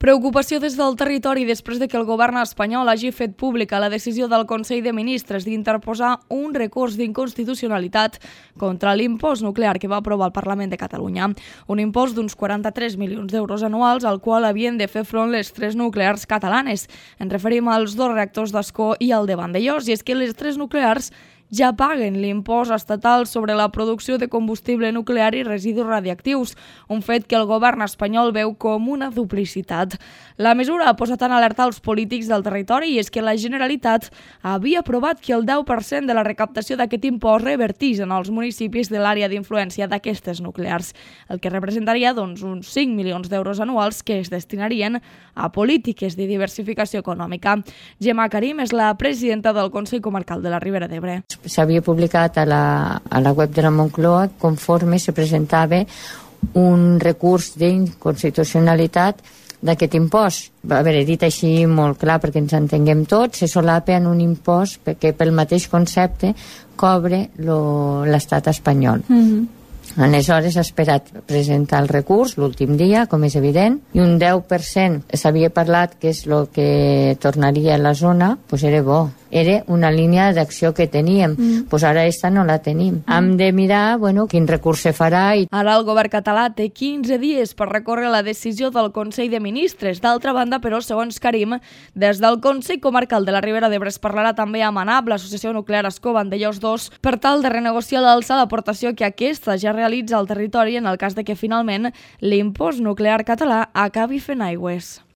Preocupació des del territori després de que el govern espanyol hagi fet pública la decisió del Consell de Ministres d'interposar un recurs d'inconstitucionalitat contra l'impost nuclear que va aprovar el Parlament de Catalunya. Un impost d'uns 43 milions d'euros anuals al qual havien de fer front les 3 nuclears catalanes. Ens referim als 2 reactors d'Ascó i al de Vandellòs, i és que les 3 nuclears ja paguen l'impost estatal sobre la producció de combustible nuclear i residus radiactius, un fet que el govern espanyol veu com una duplicitat. La mesura ha posat en alerta els polítics del territori, i és que la Generalitat havia aprovat que el 10% de la recaptació d'aquest impost revertís en els municipis de l'àrea d'influència d'aquestes nuclears, el que representaria uns 5 milions d'euros anuals que es destinarien a polítiques de diversificació econòmica. Gemma Karim és la presidenta del Consell Comarcal de la Ribera d'Ebre. S'havia publicat a la web de la Moncloa conforme se presentava un recurs d'inconstitucionalitat d'aquest impost. A veure, dit així molt clar perquè ens entenguem tots, se solapa en un impost perquè pel mateix concepte cobre l'estat espanyol. Aleshores ha esperat presentar el recurs l'últim dia, com és evident, i un 10% s'havia parlat que és el que tornaria a la zona, doncs era bo. Era una línia d'acció que teníem, doncs ara aquesta no la tenim. Hem de mirar quin recurs se farà. Ara el govern català té 15 dies per recórrer la decisió del Consell de Ministres. D'altra banda, però, segons Karim, des del Consell Comarcal de la Ribera d'Ebre es parlarà també amb ANAP, l'Associació Nuclear Ascó Vandellòs 2, per tal de renegociar l'alça d'aportació que aquesta ja realitza al territori en el cas de que finalment l'impost nuclear català acabi fent aigües.